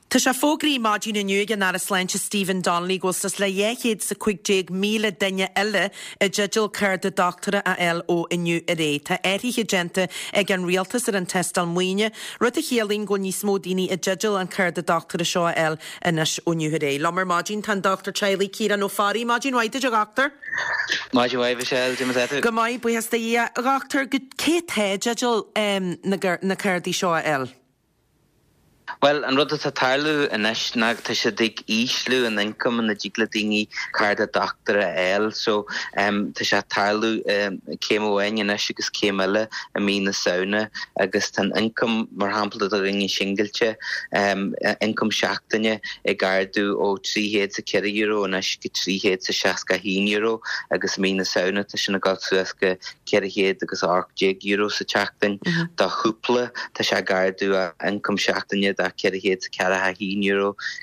Tá sé fógraithe maidin inniu ag an Aire Sláinte Stephen Donnelly go bhfuil suas le 215,000 duine eile i dteideal cárta dochtúra a fháil ó inniu ar aghaidh. Tá athruithe déanta ag an Rialtas ar an tástáil maoine, rud a chiallaíonn go bhfuil níos mó daoine i dteideal an cárta dochtúra seo a fháil anois ó inniu ar aghaidh. Liom ar maidin tá an Dochtúir Teaghlaigh Ciarán Ó Fearraigh. Maidin mhaith duit a dhochtúir. Maidin mhaith Michelle, cad é mar atá tú? Go maith, buíochas do Dhia. A dhochtúir, cé atá i dteideal na cártaí seo a fháil? Bhuel, an rud atá ag tarlú anois ná tá siad ag ísliú an ioncam ina dtig le daoine cárta dochtúra a fháil. So, tá sé ag tarlú céim amháin anois agus céim eile i mí na Samhna agus tá an ioncam, mar shampla do dhaoine singilte, ioncam seachtaine ag ardú ó €304 anois go €361 agus i mí na Samhna tá sin ag dul suas go €418 sa tseachtain. Do chúpla, tá sé ag ardú ó ioncam seachtaine de €441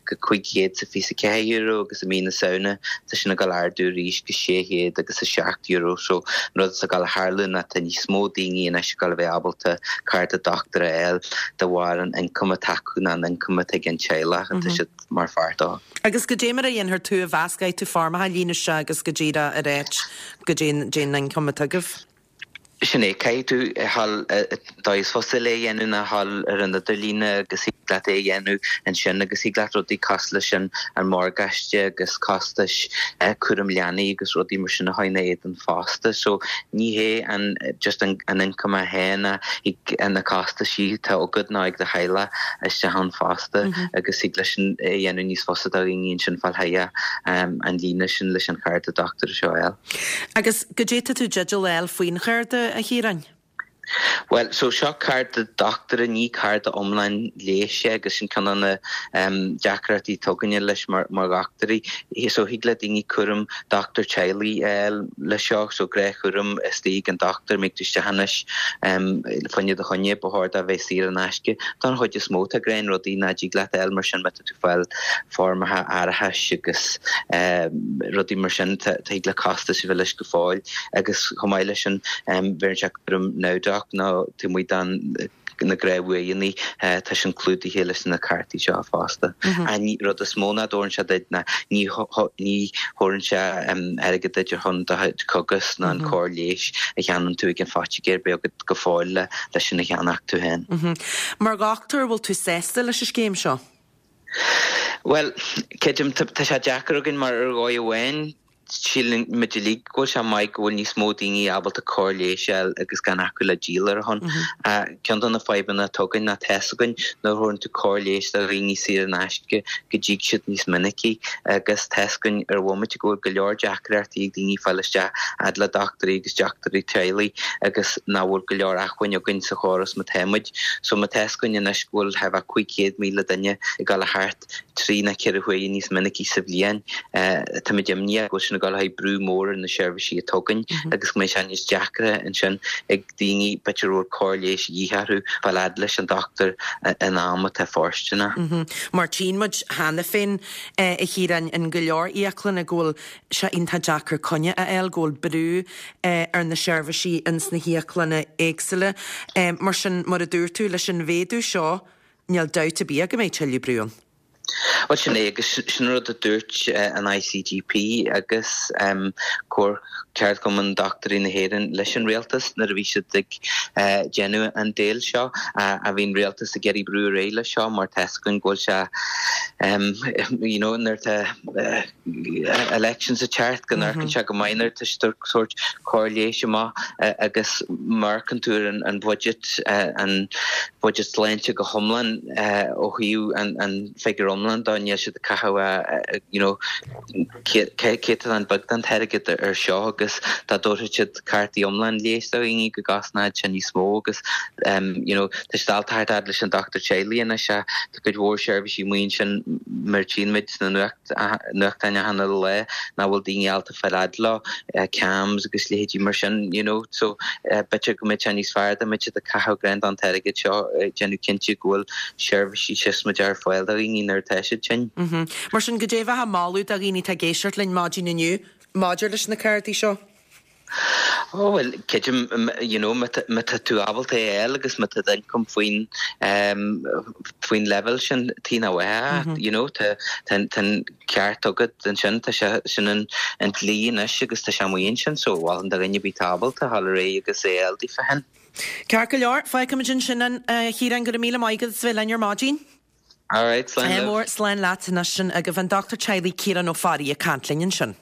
go €524 agus i mí na Samhna tá sin ag dul ardú arís go €607. So, an rud atá ag dul a tharlú ná tá níos mó daoine anois ag dul a bheith ábalta cárta dochtúra a fháil de bharr an ioncam atá acu ná an ioncam atá ag an teaghlach atá siad mar pháirt dó. Agus goidé mar a dhéanfair tú a mheas, caithfidh tú foirmeacha a líonadh isteach agus go díreach a ráit goidé an ioncam atá agaibh. Sin é, caithfidh tú a ghabháil, dóigh is fusa le é a dhéanamh ná a ghabháil ar an idirlíne agus thig leat é a dhéanamh ansin agus thig leat rudaí cosúil leis an an morgáiste agus costais cúram leanaí agus rudaí mar sin a chur ina éadan fosta. So ní hé an just an an ioncam é féin ach thig na costaisí atá agat nó ag do theaghlach isteach ann fosta agus thig leis sin é a dhéanamh níos fusa do dhaoine ansin fáil chuige an líne sin leis an chárta dochtúra seo a fháil. Agus goidé tá tú i dteideal a fháil faoin chárta, a Chiaráin? Bhuel, so seo cárta dochtúra, ní cárta iomlán leighis é agus sin ceann de na deacrachtaí atá againne leis mar dhochtúirí. So thig le daoine cúram dochtúir teaghlaigh a fháil leis seo, so gnáthchúram istigh ag an dochtúir, mbeidh tú isteach anois fá choinne do choinne, ba chóir dó a bheith saor in aisce. Don chuid is mó tá gnáthrudaí nach dtig leat a fháil mar sin má tá tú ag fáil foirmeacha árachais agus rudaí mar sin, thig le costais a bheith leis go fóill agus chomh maith leis sin bheireann sé cúram NowDoc nó taobh amuigh den na gnáthbhuaidheanna, tá sin clúdaithe leis na cártaí seo fosta. An rud is mó nach dtabharann sé duit ná ní ní thabharann sé airgead duit ar shon do chuid cogais ná an cóir leighis a cheannaíonn tú ag an phoitigéir, beidh agat go fóill le leis sin a cheannach tú féin. Mar dhochtúir, bhfuil tú sásta leis an scéim seo? Bhuel, creidim, tá sé deacair againn mar ar dhóigh amháin, síleann muid uilig go bhfuil sé maith go bhfuil níos mó daoine ábalta cóir leighis a fháil agus gan acu le díol ar a shon. Ceann de na fadhbanna atá againn ná tá's againn nuair a thabharann tú cóir leighis do dhaoine saor in aisce go dtig siad níos minicí agus tá's againn ar bhomaite go bhfuil go leor deacrachtaí ag daoine fáil isteach fhad le dochtúirí agus dochtúirí teaghlaigh agus nach bhfuil go leor acmhainn againn sa chóras mar atá muid. So má tá's againn anois go bhfuil thart fá 500,000 duine ag dul thart 3 nó 4 huaire níos minicí sa bhliain. Táimid imníoch go bhfuil sin ag dul a chur brú mór ar na seirbhísí atá againn agus go mbeidh sé níos deacra ansin ag daoine b'fhéidir a bhfuil cóir leighis de dhíth orthu fáil fhad leis an dochtúir in am atá fóirsteanach. Mar tchíonn muid cheana féin, a Chiaráin, in go leor íoclanna go bhfuil sé iontach deacair coinne a fháil, go bhfuil brú ar na seirbhísí ins na híoclanna éagsúla. Mar sin, mar a dúirt tú, leis an mhéadú seo, Níl dabht ar bith ach go mbeidh tuilleadh brú ann. Bhuel, sin é, agus sin an rud a dúirt an ICGP agus Comhar Ceardchumann Dochtúirí na hÉireann leis an Rialtas nuair a bhí siad ag déanamh an deal seo. Bhí an Rialtas ag iarraidh brú ar aghaidh leis seo mar tá's againn go bhfuil sé, you know, nuair atá elections ag teacht go n-amharcann sé go maith nuair atá siad ag tabhairt cóir leighis amach agus má amharcann tú ar an budget, an budget sláinte go hiomlán ó thaobh an figiúr iomlán dó, níl siad ag caitheamh you know céatadán beag den t-airgead ar seo agus dá dtabharfadh siad cártaí iomlán leighis do dhaoine go gcosnódh sé níos mó agus you know tá siad ábalta theacht fhad leis an dochtúir teaghlaigh anois ach tá cuid mhór seirbhísí amuigh ansin mar tchíonn muid sna nuacht nuachtáin achan uile lá nach bhfuil daoine ábalta fáil fhad leo, CAMHS agus leithéidí mar sin, you know. So b'fhéidir go mbeadh sé níos fearr dá mbeadh siad ag caitheamh greim den t-airgead seo ag déanamh cinnte go bhfuil seirbhísí siosmaideach ar fáil do dhaoine nuair atá siad tinn. Mar sin, goidé a bheifeá ag moladh do dhaoine atá ag éisteacht linn maidin inniu maidir leis na cártaí seo? Ó bhuel, creidim, you know, má tá tú ábalta é a fháil agus má tá d'ioncam faoin, faoin leibhéal sin, tuige nach bhfaighfeá, you know, tá an ceart agat ansin, tá sé, sin an dlí anois agus tá sé amuigh ansin, so mholfainn do dhuine ar bith atá ábalta a dhul ar aghaidh agus é a fháil daofa féin. Ceart go leor, fágfaimid ansin é, a Chiaráin, go raibh míle maith agat as bheith linn ar maidin. Alright, slán libh. Mór, slán leat anois sin agaibh an Dochtúir Teaghlaigh Ciarán Ó Fearraigh ag caint linn ansin.